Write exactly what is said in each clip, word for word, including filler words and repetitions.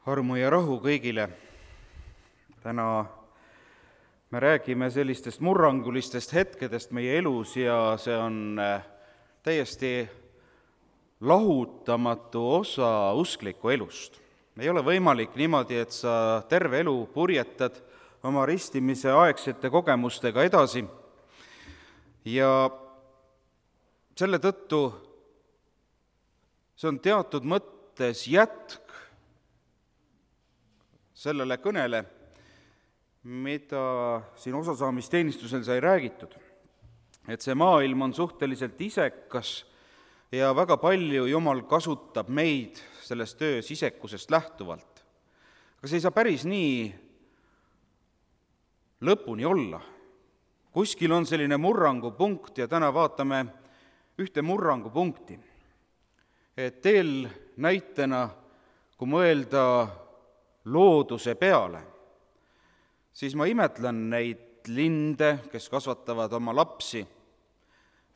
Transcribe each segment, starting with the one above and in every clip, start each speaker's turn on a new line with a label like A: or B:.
A: Armu ja rahu kõigile. Täna me räägime sellistest murrangulistest hetkedest meie elus ja see on täiesti lahutamatu osa uskliku elust. Ei ole võimalik niimoodi, et sa terve elu purjetad oma ristimise aegsete kogemustega edasi ja selle tõttu see on teatud mõttes jätk sellele kõnele, mida siin osasaamisteenistusel sai räägitud. Et see maailm on suhteliselt isekas ja väga palju Jumal kasutab meid selles töös isekusest lähtuvalt. Aga see ei saa päris nii lõpuni olla. Kuskil on selline murrangupunkt ja täna vaatame ühte murrangupunkti. Et teel näitena, kui mõelda looduse peale, siis ma imetlen neid linde, kes kasvatavad oma lapsi,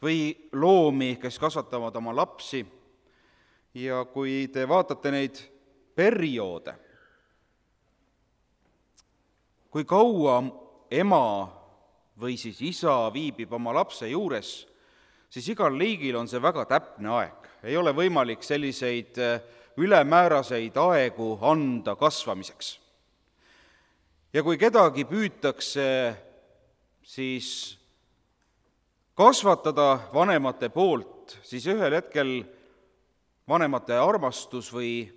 A: või loomi, kes kasvatavad oma lapsi. Ja kui te vaatate neid perioode, kui kaua ema või siis isa viibib oma lapse juures, siis igal liigil on see väga täpne aeg. Ei ole võimalik selliseid ülemääraseid aegu anda kasvamiseks. Ja kui kedagi püütakse siis kasvatada vanemate poolt, siis ühel hetkel vanemate armastus või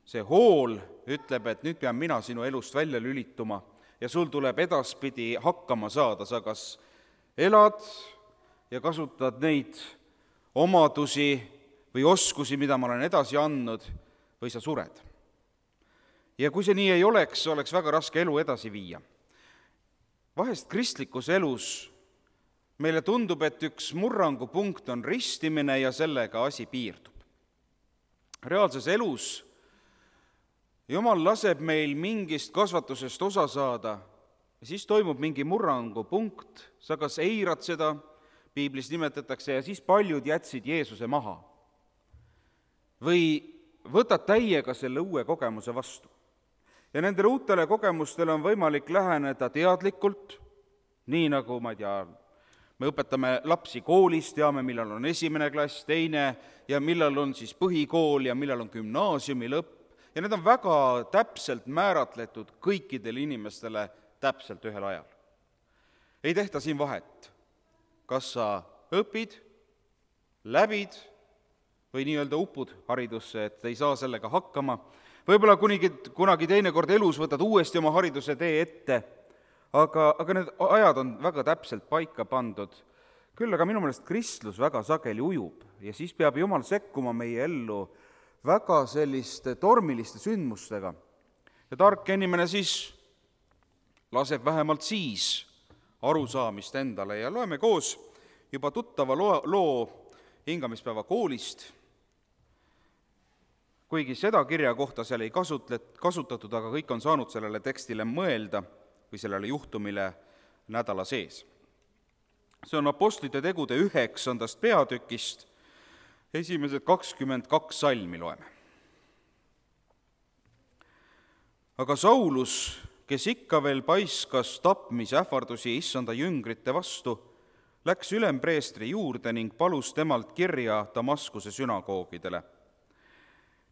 A: see hool ütleb, et nüüd pean mina sinu elust välja lülituma ja sul tuleb edaspidi hakkama saada. Sa kas elad ja kasutad neid omadusi või oskusi, mida ma olen edasi andnud, või sa sured. Ja kui see nii ei oleks, oleks väga raske elu edasi viia. Vahest kristlikus elus meile tundub, et üks murrangupunkt on ristimine ja sellega asi piirdub. Reaalses elus Jumal laseb meil mingist kasvatusest osa saada ja siis toimub mingi murrangupunkt, sa kas eirad seda, piiblis nimetatakse, ja siis paljud jätsid Jeesuse maha. Või võtad täiega selle uue kogemuse vastu. Ja nendele uutele kogemustele on võimalik läheneda teadlikult, nii nagu, ma ei tea, me õpetame lapsi koolis, teame, millal on esimene klass, teine, ja millal on siis põhikool ja millal on gümnaasiumi lõpp. Ja need on väga täpselt määratletud kõikidele inimestele täpselt ühel ajal. Ei tehta siin vahet, kas sa õpid, läbid või nii-öelda upud haridusse, et ei saa sellega hakkama. Võib-olla kunagi, kunagi teinekord elus võtad uuesti oma hariduse tee ette, aga, aga need ajad on väga täpselt paika pandud. Küll aga minu meelest kristlus väga sageli ujub ja siis peab Jumal sekkuma meie ellu väga selliste tormiliste sündmustega. Ja tark inimene siis laseb vähemalt siis arusaamist endale ja loeme koos juba tuttava loo, loo hingamispäeva koolist. Kuigi seda kirja kohta seal ei kasutatud, aga kõik on saanud sellele tekstile mõelda või sellele juhtumile nädala sees. See on Apostlite tegude üheksandast peatükist, esimesed kakskümmend kaks salmi loeme. Aga Saulus, kes ikka veel paiskas tapmisähvardusi issanda jüngrite vastu, läks ülempreestri juurde ning palus temalt kirja Damaskuse sünagoogidele,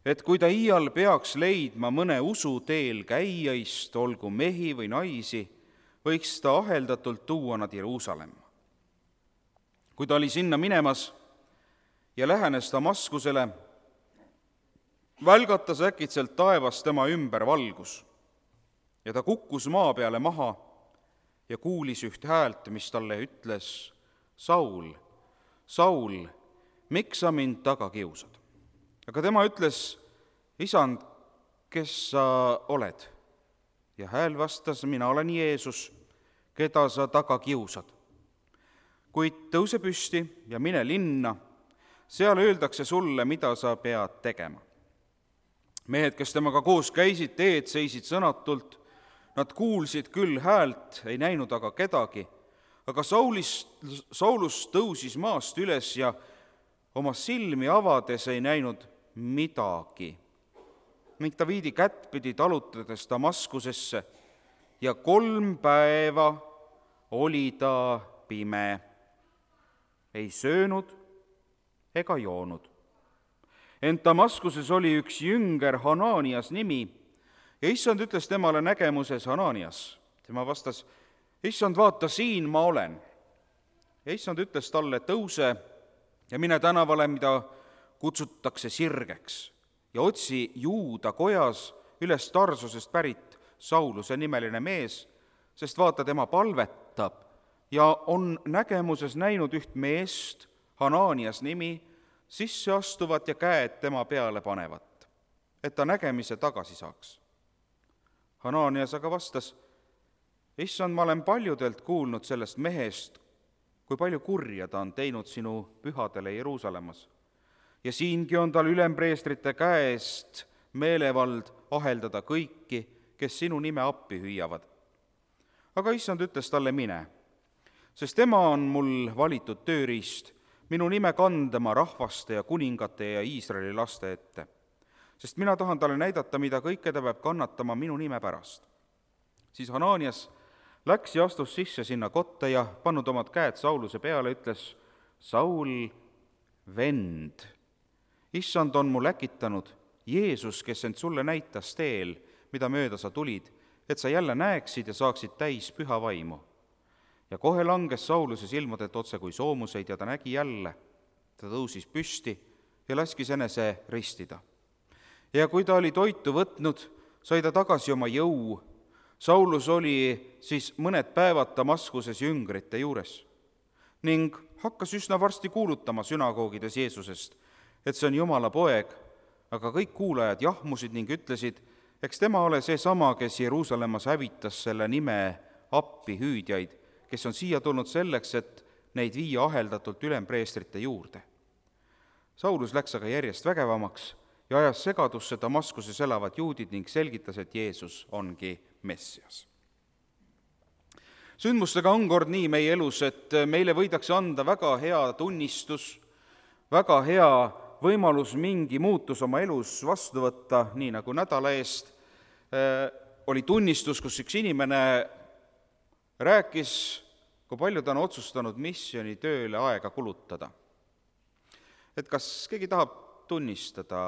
A: et kui ta iial peaks leidma mõne usuteel käijaist, olgu mehi või naisi, võiks ta aheldatult tuua nad Jeruusalemma. Kui ta oli sinna minemas ja lähenes Damaskusele, välgatas äkitselt taevas tema ümber valgus ja ta kukkus maa peale maha ja kuulis üht häält, mis talle ütles: Saul, Saul, miks sa mind taga kiusad? Aga tema ütles: Isand, kes sa oled? Ja hääl vastas: mina olen Jeesus, keda sa taga kiusad. Kuid tõuse püsti ja mine linna, seal öeldakse sulle, mida sa pead tegema. Mehed, kes temaga koos käisid, teed seisid sõnatult, nad kuulsid küll häält, ei näinud aga kedagi, aga Saulist, Saulus tõusis maast üles ja oma silmi avades ei näinud midagi. ning ta viidi kättpidi talutades Damaskusesse ja kolm päeva oli ta pime, ei söönud ega joonud. Ent Damaskuses oli üks jünger Hananias nimi ja issand ütles temale nägemuses: Hananias. Tema vastas: issand, vaata, siin ma olen. Ja issand ütles talle: tõuse ja mine tänavale, mida kutsutakse Sirgeks, ja otsi Juuda kojas üles Tarsusest pärit Sauluse nimeline mees, sest vaata, tema palvetab ja on nägemuses näinud üht meest, Hananias nimi, sisse astuvat ja käed tema peale panevat, et ta nägemise tagasi saaks. Hananias aga vastas: issand, ma olen paljudelt kuulnud sellest mehest, kui palju kurja ta on teinud sinu pühadele Jeruusalemmas. Ja siingi on tal ülempreestrite käest meelevald aheldada kõiki, kes sinu nime appi hüüavad. Aga issand ütles talle: mine, sest tema on mul valitud tööriist, minu nime kandma rahvaste ja kuningate ja Iisraeli laste ette. Sest mina tahan talle näidata, mida kõike ta peab kannatama minu nime pärast. Siis Hananias läks ja astus sisse sinna kotta ja pannud omad käed Sauluse peale, ütles: Saul, vend, issand on mul äkitanud, Jeesus, kes end sulle näitas teel, mida mööda sa tulid, et sa jälle näeksid ja saaksid täis püha vaimu. Ja kohe langes Sauluse silmadelt otse kui soomuseid ja ta nägi jälle. Ta tõusis püsti ja laskis enese ristida. Ja kui ta oli toitu võtnud, sai ta tagasi oma jõu. Saulus oli siis mõned päevad Damaskuses jüngrite juures ning hakkas üsna varsti kuulutama sünagoogides Jeesusest, et see on Jumala poeg, aga kõik kuulajad jahmusid ning ütlesid: eks tema ole seesama, kes Jeruusalemmas hävitas selle nime appi hüüdjaid, kes on siia tulnud selleks, et neid viia aheldatult ülempreestrite juurde. Saulus läks aga järjest vägevamaks ja ajas segadusse Damaskuses elavad juudid ning selgitas, et Jeesus ongi Messias. Sündmustega on kord nii meie elus, et meile võidakse anda väga hea tunnistus, väga hea võimalus mingi muutus oma elus vastu võtta, nii nagu nädala eest äh, oli tunnistus, kus üks inimene rääkis, kui palju ta on otsustanud missioonitööle aega kulutada. Et kas keegi tahab tunnistada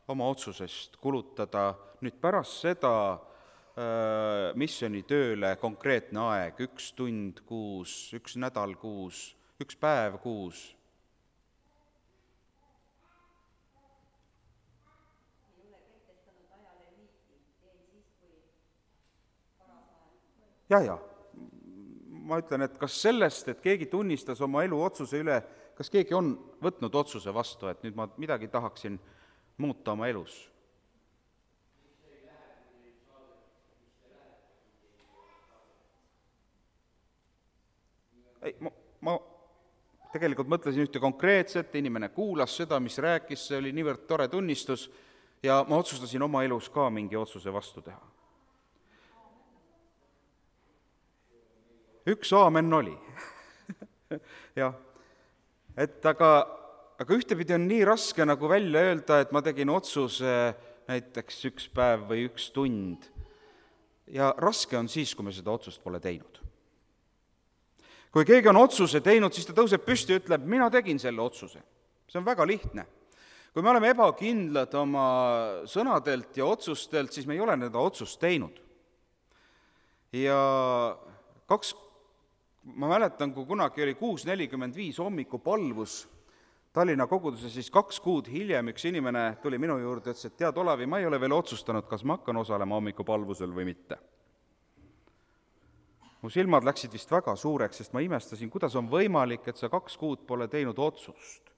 A: oma otsusest kulutada nüüd pärast seda äh, missioonitööle konkreetne aeg, üks tund kuus, üks nädal kuus, üks päev kuus? Ja, ja, ma ütlen, et kas sellest, et keegi tunnistas oma elu otsuse üle, kas keegi on võtnud otsuse vastu, et nüüd ma midagi tahaksin muuta oma elus? Ei, ma, ma tegelikult mõtlesin ühte konkreetset, inimene kuulas seda, mis rääkis, see oli niivõrd tore tunnistus ja ma otsustasin oma elus ka mingi otsuse vastu teha. Üks aamen oli. jah, et aga, aga ühtepidi on nii raske nagu välja öelda, et ma tegin otsuse näiteks üks päev või üks tund. Ja raske on siis, kui me seda otsust pole teinud. Kui keegi on otsuse teinud, siis ta tõuseb püsti ja ütleb, mina tegin selle otsuse. See on väga lihtne. Kui me oleme ebakindlad oma sõnadelt ja otsustelt, siis me ei ole nende otsust teinud. Ja kaks ma mäletan, kui kunagi oli kuus nelikümmend viis hommikupalvus Tallinna koguduses, siis kaks kuud hiljem üks inimene tuli minu juurde ja ütles, et tead, Olavi, ma ei ole veel otsustanud, kas ma hakkan osalema hommikupalvusel või mitte. Mu silmad läksid vist väga suureks, sest ma imestasin, kuidas on võimalik, et sa kaks kuud pole teinud otsust.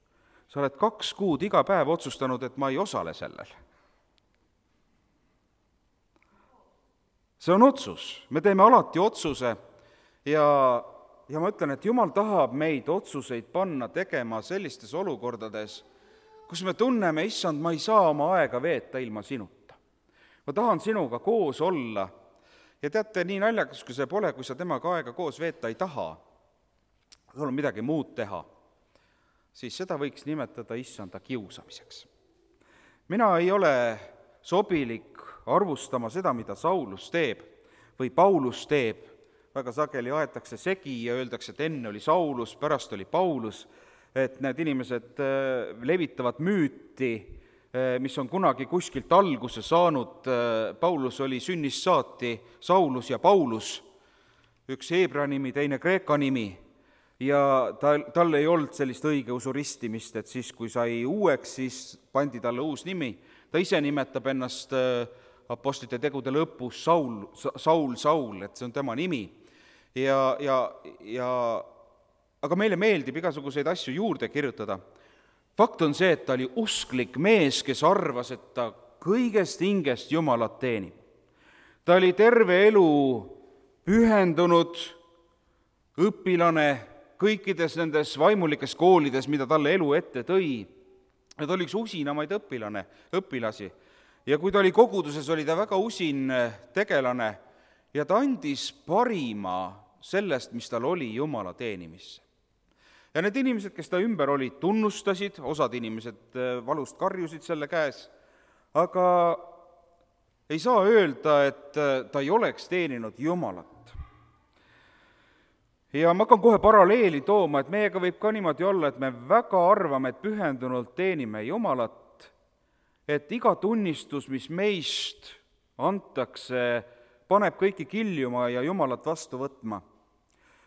A: Sa oled kaks kuud iga päev otsustanud, et ma ei osale sellel. See on otsus. Me teeme alati otsuse ja Ja ma ütlen, et Jumal tahab meid otsuseid panna tegema sellistes olukordades, kus me tunneme, issand, ma ei saa oma aega veeta ilma sinuta. Ma tahan sinuga koos olla. Ja teate, nii naljakas, kui see pole, kui sa temaga aega koos veeta ei taha, sul on midagi muud teha, siis seda võiks nimetada issanda kiusamiseks. Mina ei ole sobilik arvustama seda, mida Saulus teeb või Paulus teeb. Väga sageli aetakse segi ja öeldakse, et enne oli Saulus, pärast oli Paulus, et need inimesed levitavad müüti, mis on kunagi kuskilt alguse saanud. Paulus oli sünnist saati Saulus ja Paulus, üks heebra nimi, teine kreeka nimi, ja tal, tal ei olnud sellist õigeusu ristimist, et siis, kui sai uueks, siis pandi talle uus nimi. Ta ise nimetab ennast apostlite tegude lõpus Saul, Saul, Saul, et see on tema nimi. Ja, ja, ja, aga meile meeldib igasuguseid asju juurde kirjutada. Fakt on see, et ta oli usklik mees, kes arvas, et ta kõigest hingest Jumalat teenib. Ta oli terve elu pühendunud õpilane kõikides nendes vaimulikes koolides, mida talle elu ette tõi. Ja ta oli üks usinamaid õpilane, õpilasi. Ja kui ta oli koguduses, oli ta väga usin tegelane ja ta andis parima sellest, mis tal oli Jumala teenimisse. Ja need inimesed, kes ta ümber olid, tunnustasid, osad inimesed valust karjusid selle käes, aga ei saa öelda, et ta ei oleks teeninud Jumalat. Ja ma hakkan kohe paralleeli tooma, et meiega võib ka niimoodi olla, et me väga arvame, et pühendunult teenime Jumalat, et iga tunnistus, mis meist antakse, paneb kõiki kiljuma ja Jumalat vastu võtma.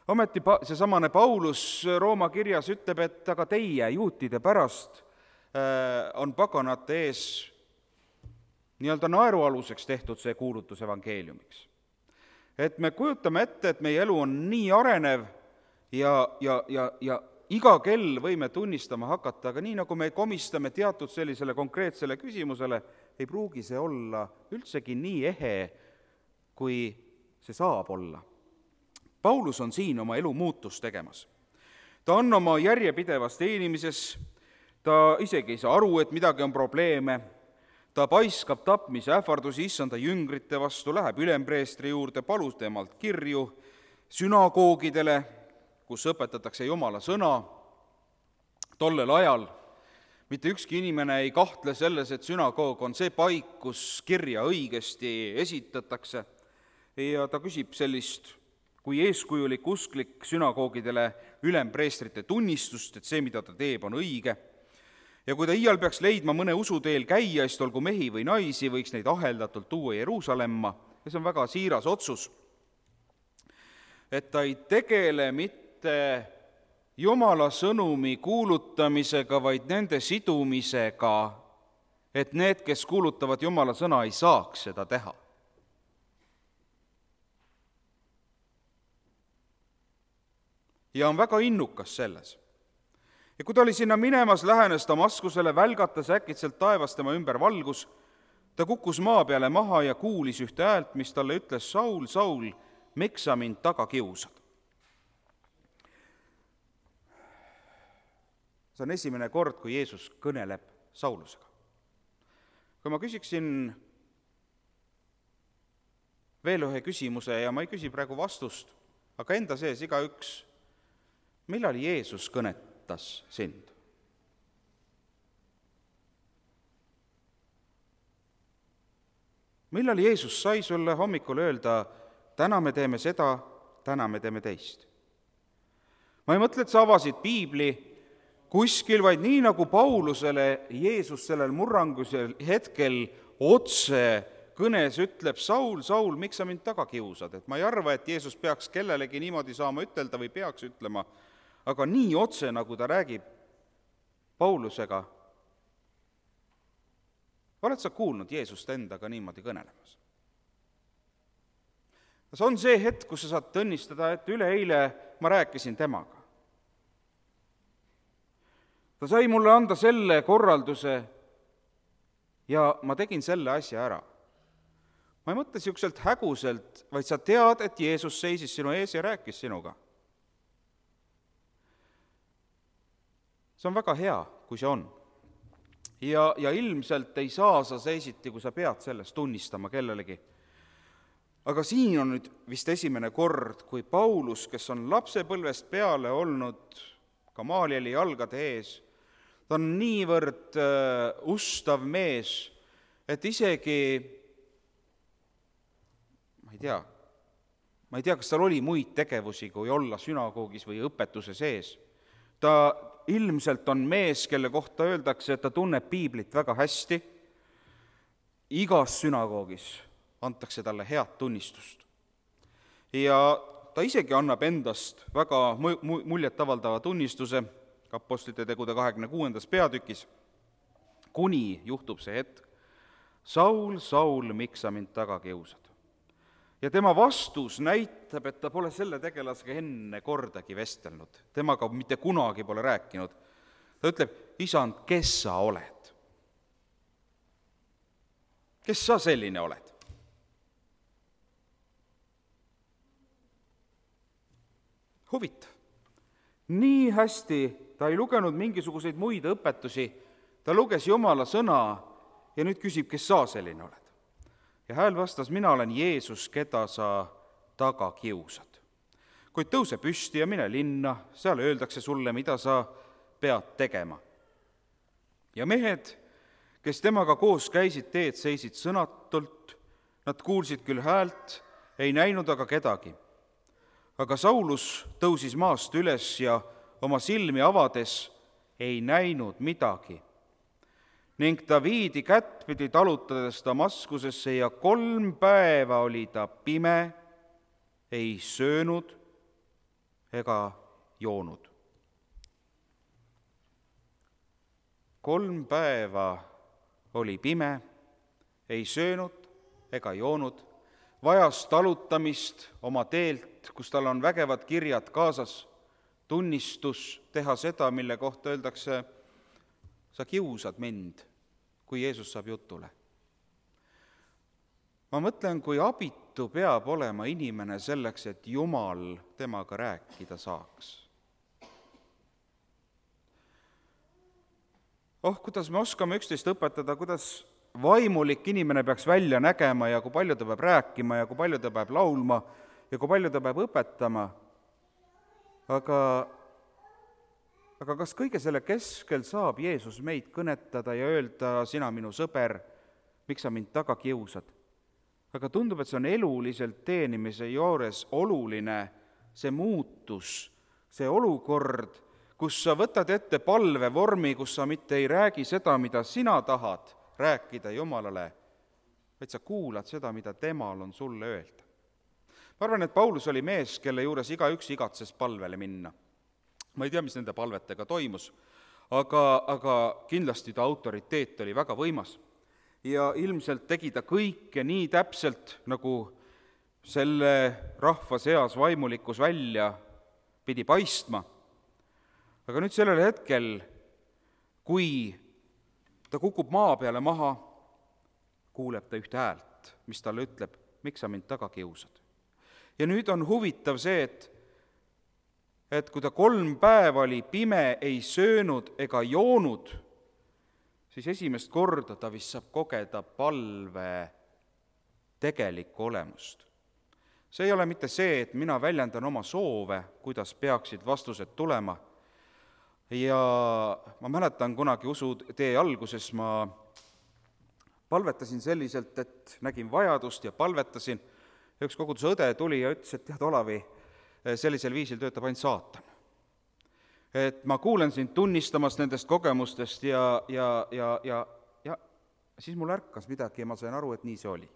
A: Ometi seesamane Paulus Rooma kirjas ütleb, et aga teie juutide pärast on paganate ees nii-öelda naerualuseks tehtud see kuulutus evangeeliumiks. Et me kujutame ette, et meie elu on nii arenev ja, ja, ja, ja iga kell võime tunnistama hakata, aga nii nagu me komistame teatud sellisele konkreetsele küsimusele, ei pruugi see olla üldsegi nii ehe, kui see saab olla. Paulus on siin oma elu muutus tegemas. Ta on oma järjepidevas teenimises, ta isegi ei saa aru, et midagi on probleeme, ta paiskab tapmise ähvardusi issanda jüngrite vastu, läheb ülempreestri juurde, palus temalt kirju sünagoogidele, kus õpetatakse Jumala sõna. Tollel ajal mitte ükski inimene ei kahtle selles, et sünagoog on see paik, kus kirja õigesti esitatakse, ja ta küsib sellist kui eeskujulik usklik sünagoogidele ülempreestrite tunnistust, et see, mida ta teeb, on õige. Ja kui ta iial peaks leidma mõne usuteel käijaist, olgu mehi või naisi, võiks neid aheldatult tuua Jeruusalemma, ja see on väga siiras otsus. Et ta ei tegele mitte Jumala sõnumi kuulutamisega, vaid nende sidumisega, et need, kes kuulutavad Jumala sõna, ei saaks seda teha. Ja on väga innukas selles. Ja kui ta oli sinna minemas, lähenes Damaskusele, välgatas äkitselt taevas tema ümber valgus, ta kukkus maa peale maha ja kuulis ühte häält, mis talle ütles, Saul, Saul, miks sa mind taga kiusad? See on esimene kord, kui Jeesus kõneleb Saulusega. Kui ma küsiksin veel ühe küsimuse, ja ma ei küsi praegu vastust, aga enda sees igaüks, millal Jeesus kõnetas sind? Millal Jeesus sai sulle hommikul öelda, täna me teeme seda, täna me teeme teist? Ma ei mõtle, et sa avasid piibli kuskil, vaid nii nagu Paulusele Jeesus sellel murrangusel hetkel otse kõnes ütleb, Saul, Saul, miks sa mind taga kiusad? Et ma ei arva, et Jeesus peaks kellelegi niimoodi saama ütelda või peaks ütlema, aga nii otse, nagu ta räägib Paulusega. Oled sa kuulnud Jeesust endaga niimoodi kõnelemas? See on see hetk, kus sa saad tõnnistada, et üleeile ma rääkisin temaga. Ta sai mulle anda selle korralduse ja ma tegin selle asja ära. Ma ei mõtle siukselt häguselt, vaid sa tead, et Jeesus seisis sinu ees ja rääkis sinuga. See on väga hea, kui see on. Ja, ja ilmselt ei saa sa seisiti, kui sa pead sellest tunnistama kellelegi. Aga siin on nüüd vist esimene kord, kui Paulus, kes on lapsepõlvest peale olnud Gamalieli jalgade ees, ta on niivõrd uh, ustav mees, et isegi, ma ei tea, ma ei tea, kas tal oli muid tegevusi, kui olla sünagoogis või õpetuse sees. Ta ilmselt on mees, kelle kohta öeldakse, et ta tunneb piiblit väga hästi. Igas sünagoogis antakse talle head tunnistust. Ja ta isegi annab endast väga muljetavaldava tunnistuse Apostlite tegude kahekümne kuuendas peatükis, kuni juhtub see hetk: Saul, Saul, miks sa mind taga kiusad? Ja tema vastus näitab, et ta pole selle tegelasega enne kordagi vestelnud, temaga mitte kunagi pole rääkinud. Ta ütleb: Isand, kes sa oled? Kes sa selline oled? Huvitav. Nii hästi ta ei lugenud mingisuguseid muid õpetusi, ta luges Jumala sõna ja nüüd küsib, kes sa selline oled. Ja hääl vastas: mina olen Jeesus, keda sa taga kiusad. Kuid tõuse püsti ja mine linna, seal öeldakse sulle, mida sa pead tegema. Ja mehed, kes temaga koos käisid teed, seisid sõnatult, nad kuulsid küll häält, ei näinud aga kedagi. Aga Saulus tõusis maast üles ja oma silmi avades ei näinud midagi. Ning ta viidi kättpidi talutades Damaskusesse ja kolm päeva oli ta pime, ei söönud ega joonud. Kolm päeva oli pime, ei söönud ega joonud, vajas talutamist oma teelt, kus tal on vägevad kirjad kaasas, tunnistus teha seda, mille kohta öeldakse: sa kiusad mind, kui Jeesus saab jutule. Ma mõtlen, kui abitu peab olema inimene selleks, et Jumal temaga rääkida saaks. Oh, kuidas me oskame üksteist õpetada, kuidas vaimulik inimene peaks välja nägema ja kui palju ta peab rääkima ja kui palju ta peab laulma ja kui palju ta peab õpetama. Aga, aga kas kõige selle keskel saab Jeesus meid kõnetada ja öelda: sina minu sõber, miks sa mind taga kiusad? Aga tundub, et see on eluliselt teenimise juures oluline, see muutus, see olukord, kus sa võtad ette palvevormi, kus sa mitte ei räägi seda, mida sina tahad rääkida Jumalale, vaid sa kuulad seda, mida temal on sulle öelda. Ma arvan, et Paulus oli mees, kelle juures igaüks igatses palvele minna. Ma ei tea, mis nende palvetega toimus, aga, aga kindlasti ta autoriteet oli väga võimas. Ja ilmselt tegi ta kõike nii täpselt, nagu selle rahva seas vaimulikkus välja pidi paistma. Aga nüüd sellel hetkel, kui ta kukub maa peale maha, kuuleb ta ühte häält, mis talle ütleb: miks sa mind taga kiusad? Ja nüüd on huvitav see, et, et kui ta kolm päeva oli pime, ei söönud ega joonud, siis esimest korda ta vist saab kogeda palve tegelikku olemust. See ei ole mitte see, et mina väljendan oma soove, kuidas peaksid vastused tulema. Ja ma mäletan kunagi usu tee alguses ma palvetasin selliselt, et nägin vajadust ja palvetasin. Üks koguduse õde tuli ja ütles, et tead, Olavi, sellisel viisil töötab ainult saatan. Et ma kuulen sind tunnistamast nendest kogemustest ja, ja, ja, ja, ja siis mul ärkas midagi ja ma sain aru, et nii see oli.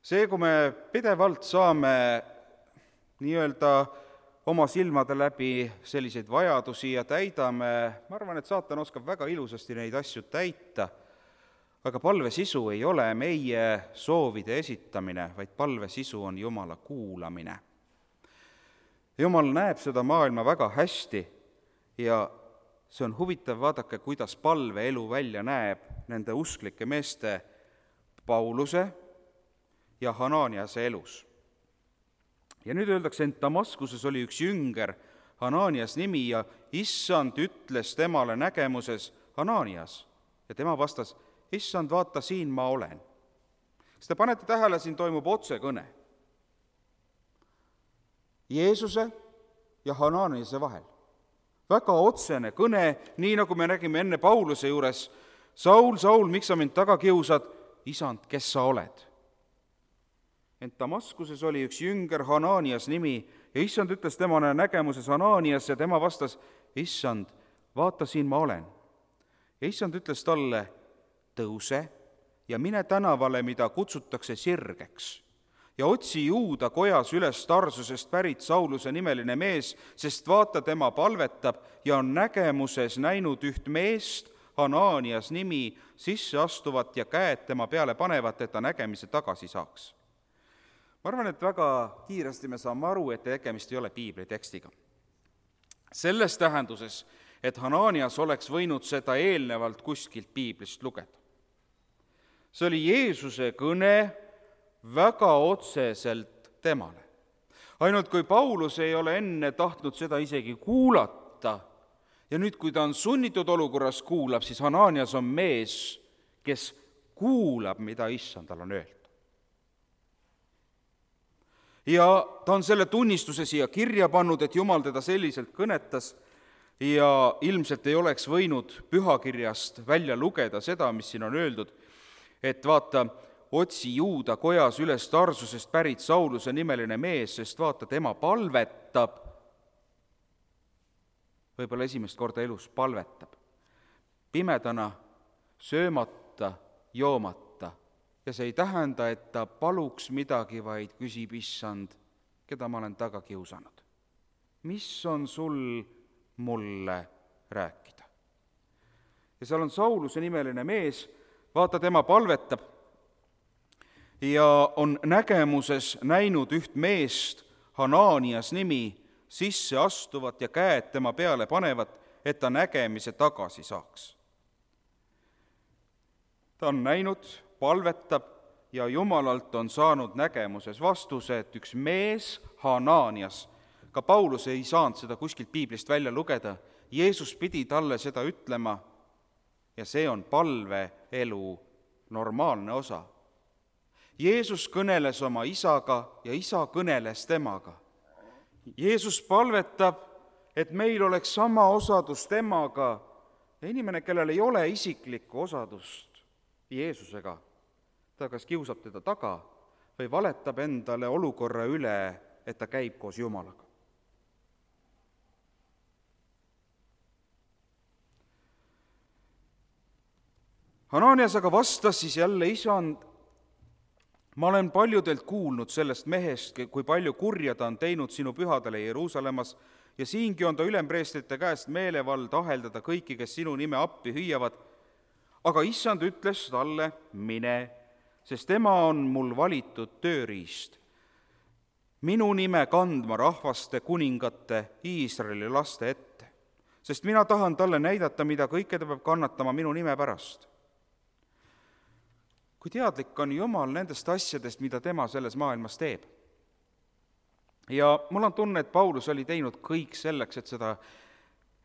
A: See, kui me pidevalt saame nii-öelda oma silmade läbi selliseid vajadusi ja täidame, ma arvan, et saatan oskab väga ilusasti neid asju täita, aga palve sisu ei ole meie soovide esitamine, vaid palve sisu on Jumala kuulamine. Jumal näeb seda maailma väga hästi ja see on huvitav, vaadake, kuidas palveelu välja näeb nende usklike meeste Pauluse ja Hananiase elus. Ja nüüd öeldakse, et Damaskuses oli üks jünger, Hananias nimi, ja issand ütles temale nägemuses: Hananias. Ja tema vastas: issand, vaata, siin ma olen. Kas te panete tähele, siin toimub otsekõne Jeesuse ja Hananiase vahel. väga otsene kõne, nii nagu me nägime enne Pauluse juures. Saul, Saul, miks sa mind taga kiusad? Isand, kes sa oled? Ent Damaskuses oli üks jünger, Hananias nimi, ja issand ütles temale nägemuses Hananias ja tema vastas, issand, vaata, siin ma olen. Ja issand ütles talle, tõuse ja mine tänavale, mida kutsutakse Sirgeks, ja otsi Juuda kojas üles Tarsusest pärit Sauluse nimeline mees, sest vaata, tema palvetab ja on nägemuses näinud üht meest, Hananias nimi, sisse astuvat ja käed tema peale panevat, et ta nägemise tagasi saaks. Ma arvan, et väga kiiresti me saame aru, et tegemist ei ole piibli tekstiga. Selles tähenduses, et Hananias oleks võinud seda eelnevalt kuskilt piiblist lugeda. See oli Jeesuse kõne väga otseselt temale. Ainult kui Paulus ei ole enne tahtnud seda isegi kuulata, ja nüüd, kui ta on sunnitud olukorras kuulab, siis Hananias on mees, kes kuulab, mida issand tal on öeldud. Ja ta on selle tunnistuse siia kirja pannud, et Jumal teda selliselt kõnetas ja ilmselt ei oleks võinud pühakirjast välja lugeda seda, mis siin on öeldud, et vaata, otsi Juuda kojas üles Tarsusest pärit Sauluse nimeline mees, sest vaata, tema palvetab, võib-olla esimest korda elus palvetab, pimedana, söömata, joomata. Ja see ei tähenda, et ta paluks midagi, vaid küsib issand, keda ma olen taga kiusanud. Mis on sul mulle rääkida? Ja seal on Sauluse nimeline mees, vaata, tema palvetab ja on nägemuses näinud üht meest, Hananias nimi, sisse astuvat ja käed tema peale panevat, et ta nägemise tagasi saaks. Ta on näinud, palvetab ja Jumalalt on saanud nägemuses vastuse, et üks mees, Hananias, ka Paulus ei saanud seda kuskilt piiblist välja lugeda, Jeesus pidi talle seda ütlema ja see on palveelu normaalne osa. Jeesus kõneles oma isaga ja isa kõneles temaga. Jeesus palvetab, et meil oleks sama osadus temaga ja inimene, kellel ei ole isiklikku osadust Jeesusega, ta kas kiusab teda taga või valetab endale olukorra üle, et ta käib koos Jumalaga. Hananias aga vastas siis jälle, isand, ma olen paljudelt kuulnud sellest mehest, kui palju kurja ta on teinud sinu pühadele Jeruusalemmas ja siingi on ta ülempreestrite käest meelevald aheldada kõiki, kes sinu nime appi hüüavad. Aga issand ütles talle, mine, sest tema on mul valitud tööriist. Minu nime kandma rahvaste, kuningate, Iisraeli laste ette, sest mina tahan talle näidata, mida kõike ta peab kannatama minu nime pärast. Kui teadlik on Jumal nendest asjadest, mida tema selles maailmas teeb. Ja mul on tunne, et Paulus oli teinud kõik selleks, et seda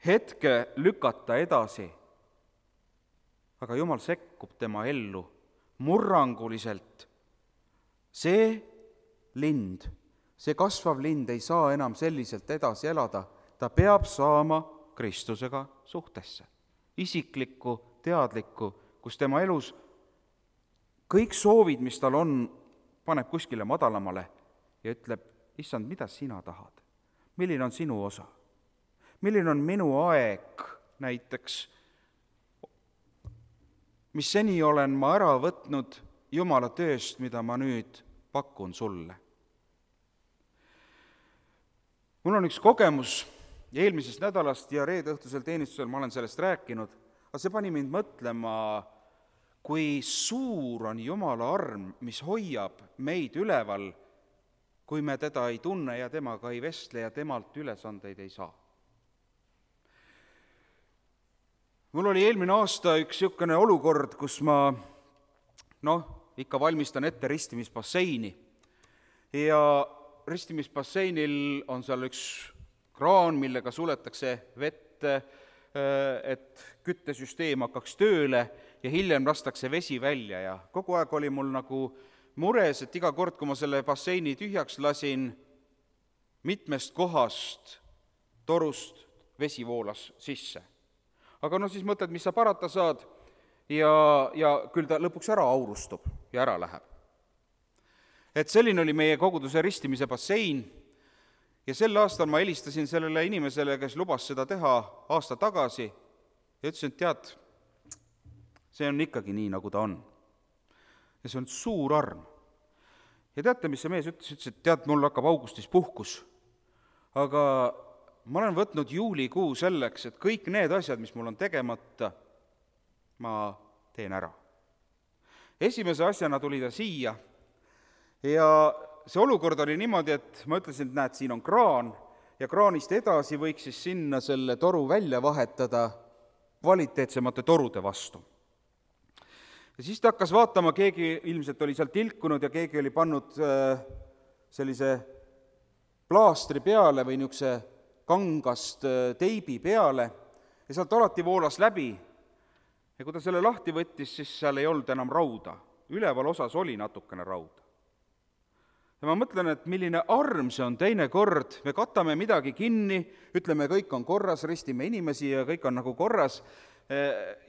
A: hetke lükata edasi, aga Jumal sekkub tema ellu murranguliselt. See lind, see kasvav lind ei saa enam selliselt edasi elada, ta peab saama Kristusega suhtesse. Isiklikku, teadlikku, kus tema elus kõik soovid, mis tal on, paneb kuskile madalamale ja ütleb, issand, mida sina tahad? Milline on sinu osa? Milline on minu aeg näiteks, mis seni olen ma ära võtnud Jumala tööst, mida ma nüüd pakun sulle. Mul on üks kogemus eelmisest nädalast ja reede õhtusel teenistusel ma olen sellest rääkinud, aga see pani mind mõtlema, kui suur on Jumala arm, mis hoiab meid üleval, kui me teda ei tunne ja temaga ei vestle ja temalt ülesandeid ei saa. Mul oli eelmine aasta üks niisugune olukord, kus ma noh, ikka valmistan ette ristimisbasseini ja ristimisbasseinil on seal üks kraan, millega suletakse vett, et küttesüsteem hakkaks tööle ja hiljem lastakse vesi välja ja kogu aeg oli mul nagu mures, et iga kord, kui ma selle basseini tühjaks lasin, mitmest kohast torust vesi voolas sisse. aga no siis mõtled, mis sa parata saad ja, ja küll ta lõpuks ära aurustub ja ära läheb. Et selline oli meie koguduse ristimise bassein ja sel aastal ma helistasin sellele inimesele, kes lubas seda teha aasta tagasi ja ütlesin, et tead, see on ikkagi nii, nagu ta on. Ja see on suur arm. Ja teate, mis see mees ütles? Ütles, et tead, mul hakkab augustis puhkus, aga ma olen võtnud juulikuu selleks, et kõik need asjad, mis mul on tegemata, ma teen ära. Esimese asjana tuli ta siia ja see olukord oli niimoodi, et ma ütlesin, et näed, siin on kraan ja kraanist edasi võiks siis sinna selle toru välja vahetada kvaliteetsemate torude vastu. Ja siis ta hakkas vaatama, keegi ilmselt oli seal tilkunud ja keegi oli pannud sellise plaastri peale või niisuguse kangast teibi peale ja sealt alati voolas läbi. Ja kui ta selle lahti võttis, siis seal ei olnud enam rauda. Üleval osas oli natukene rauda. Ja ma mõtlen, et milline arm see on teine kord, me katame midagi kinni, ütleme, kõik on korras, ristime inimesi ja kõik on nagu korras,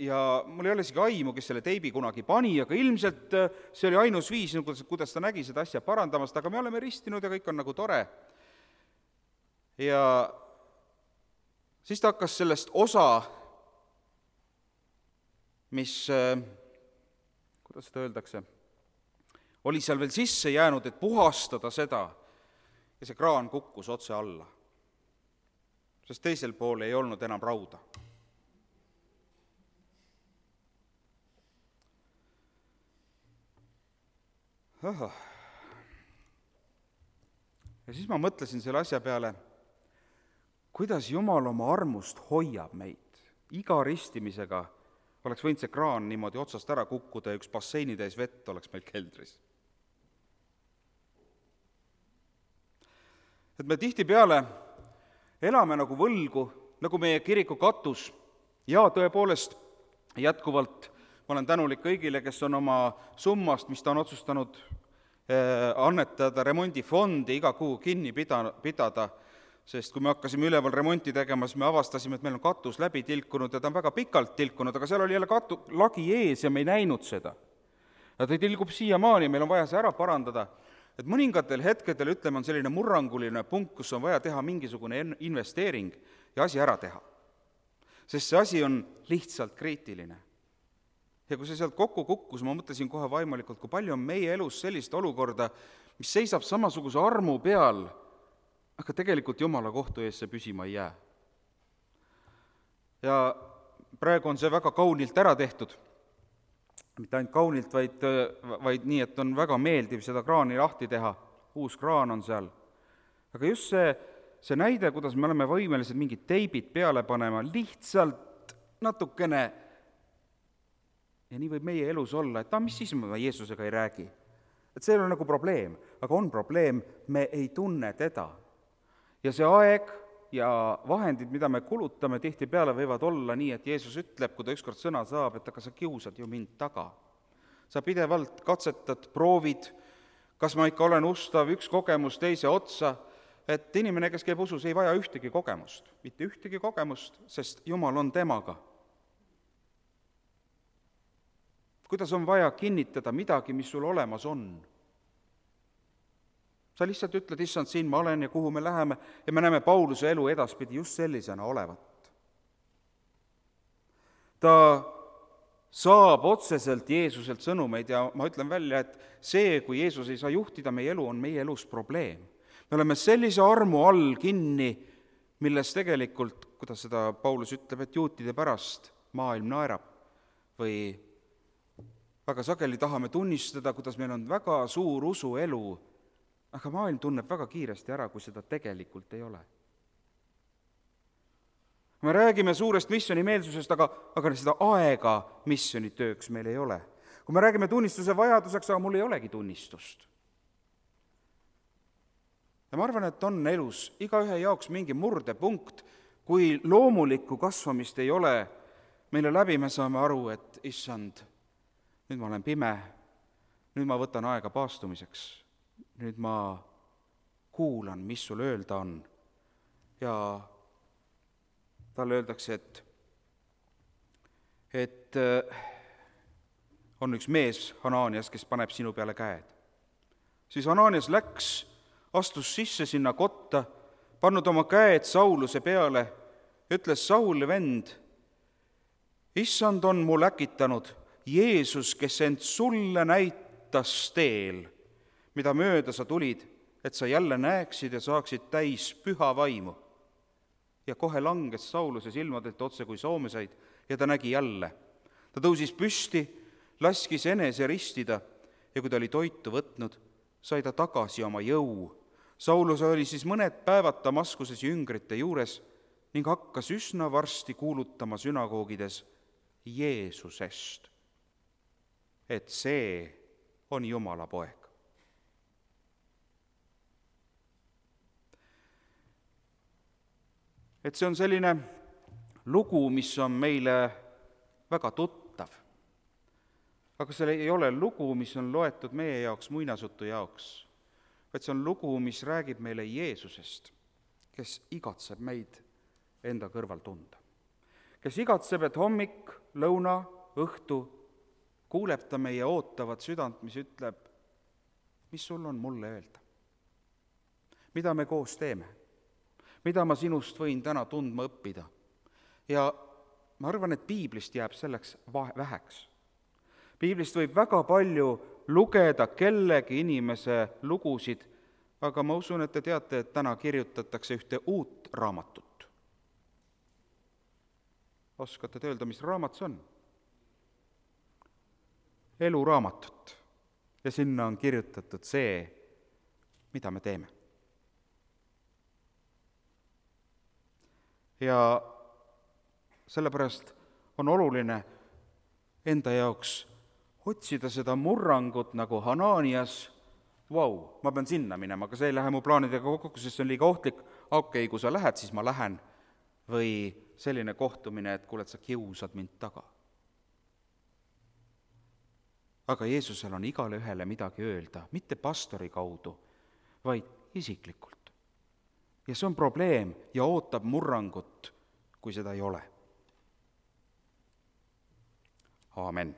A: ja mul ei ole isegi aimu, kes selle teibi kunagi pani, aga ilmselt see oli ainus viis, kuidas ta nägi seda asja parandamast, aga me oleme ristinud ja kõik on nagu tore. Ja siis ta hakkas sellest osa, mis, kuidas seda öeldakse, oli seal veel sisse jäänud, et puhastada seda, ja see kraan kukkus otse alla, sest teisel pool ei olnud enam rauda. Aha. Ja siis ma mõtlesin selle asja peale, kuidas Jumal oma armust hoiab meid. Iga ristimisega oleks võinud see kraan niimoodi otsast ära kukkuda ja üks basseini täis vett oleks meil keldris. Et me tihtipeale elame nagu võlgu, nagu meie kiriku katus, ja tõepoolest jätkuvalt ma olen tänulik kõigile, kes on oma summast, mis ta on otsustanud annetada remondifondi iga kuu kinni pida, pidada, sest kui me hakkasime üleval remonti tegema, siis me avastasime, et meil on katus läbi tilkunud ja ta on väga pikalt tilkunud, aga seal oli jälle katu, lagi ees ja me ei näinud seda. Ja ta tilgub siiamaani, meil on vaja see ära parandada. Et mõningatel hetkedel, ütleme, on selline murranguline punkt, kus on vaja teha mingisugune investeering ja asi ära teha. Sest see asi on lihtsalt kriitiline. Ja kui see sealt kokku kukkus, ma mõtlesin kohe vaimalikult, kui palju on meie elus sellist olukorda, mis seisab samasuguse armu peal, aga tegelikult Jumala kohtu ees see püsima ei jää. Ja praegu on see väga kaunilt ära tehtud. Mitte ainult kaunilt, vaid, vaid nii, et on väga meeldiv seda kraani lahti teha. Uus kraan on seal. Aga just see, see näide, kuidas me oleme võimelised mingid teibid peale panema, lihtsalt natukene. Ja nii võib meie elus olla, et ta, mis siis ma Jeesusega ei räägi. Et see ei ole nagu probleem, aga on probleem, me ei tunne teda. Ja see aeg ja vahendid, mida me kulutame, tihti peale võivad olla nii, et Jeesus ütleb, kui ta ükskord sõna saab, et aga sa kiusad ju mind taga. Sa pidevalt katsetad, proovid, kas ma ikka olen ustav, üks kogemus teise otsa, et inimene, kes käib usus, ei vaja ühtegi kogemust, mitte ühtegi kogemust, sest Jumal on temaga. Kuidas on vaja kinnitada midagi, mis sul olemas on? Sa lihtsalt ütled, issand, siin ma olen ja kuhu me läheme, ja me näeme Pauluse elu edaspidi just sellisena olevat. Ta saab otseselt Jeesuselt sõnumeid ja ma ütlen välja, et see, kui Jeesus ei saa juhtida meie elu, on meie elus probleem. Me oleme sellise armu all kinni, milles tegelikult, kuidas seda Paulus ütleb, et juutide pärast maailm naerab või väga sageli tahame tunnistada, kuidas meil on väga suur usuelu, aga maailm tunneb väga kiiresti ära, kui seda tegelikult ei ole. Me räägime suurest missionimeelsusest, aga, aga seda aega missionitööks meil ei ole. Kui me räägime tunnistuse vajaduseks, aga mul ei olegi tunnistust. Ja ma arvan, et on elus igaühe jaoks mingi murdepunkt, kui loomulikku kasvamist ei ole, meile läbi me saame aru, et issand, nüüd ma olen pime, nüüd ma võtan aega paastumiseks, nüüd ma kuulan, mis sul öelda on ja talle öeldakse, et, et on üks mees, Hanaanias, kes paneb sinu peale käed. Siis Hanaanias läks, astus sisse sinna kotta, pannud oma käed Sauluse peale, ütles Sauli vend, issand on mul äkitanud Jeesus, kes end sulle näitas teel, mida mööda sa tulid, et sa jälle näeksid ja saaksid täis püha vaimu. Ja kohe langes Sauluse silmadelt otse kui soomesaid ja ta nägi jälle. Ta tõusis püsti, laskis enese ristida ja kui ta oli toitu võtnud, sai ta tagasi oma jõu. Saulus oli siis mõned päevad Damaskuses jüngrite juures ning hakkas üsna varsti kuulutama sünagoogides Jeesusest, et see on Jumala poeg. Et see on selline lugu, mis on meile väga tuttav. Aga see ei ole lugu, mis on loetud meie jaoks muinasjutu jaoks, vaid see on lugu, mis räägib meile Jeesusest, kes igatseb meid enda kõrval tunda. Kes igatseb, et hommik, lõuna, õhtu kuuleb ta meie ootavat südant, mis ütleb, mis sul on mulle öelda? Mida me koos teeme? Mida ma sinust võin täna tundma õppida? Ja ma arvan, et piiblist jääb selleks väheks. Piiblist võib väga palju lugeda kellegi inimese lugusid, aga ma usun, et te teate, et täna kirjutatakse ühte uut raamatut. Oskate te öelda, mis raamat see on? Eluraamatut. Ja sinna on kirjutatud see, mida me teeme. Ja sellepärast on oluline enda jaoks otsida seda murrangut nagu Hanaanias. Vau, ma pean sinna minema, aga see ei lähe mu plaanidega kokku, sest see on liiga ohtlik. Okei, kui sa lähed, siis ma lähen. Või selline kohtumine, et kuule, et sa kiusad mind taga. Aga Jeesusel on igale ühele midagi öelda, mitte pastori kaudu, vaid isiklikult. Ja see on probleem ja ootab murrangut, kui seda ei ole. Aamen.